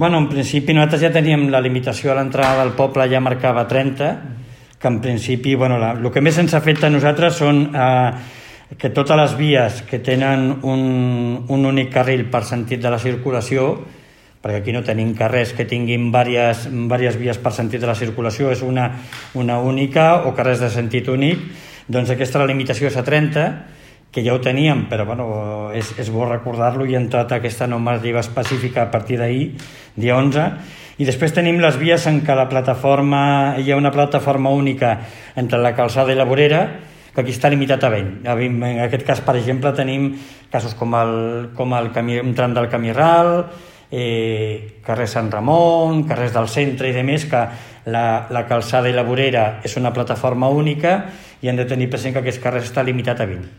Bueno, en principi nosaltres ja teníem la limitació a l'entrada del poble, ja marcava 30, que en principi, el que més ens afecta a nosaltres són que totes les vies que tenen un únic carril per sentit de la circulació, perquè aquí no tenim carrers que tinguin diverses vies per sentit de la circulació, és una única, o carrers de sentit únic, doncs aquesta la limitació és a 30, que ja ho teníem, però és bo recordar-lo, i ha entrat aquesta normativa específica a partir d'ahir, dia 11, i després tenim les vies en què hi ha una plataforma única entre la Calçada i la Vorera, que aquí està limitat a 20. En aquest cas, per exemple, tenim casos com un tram del Camí Ral, carrer Sant Ramon, carrers del centre i demés, que la Calçada i la Vorera és una plataforma única i han de tenir present que aquest carrer està limitat a 20.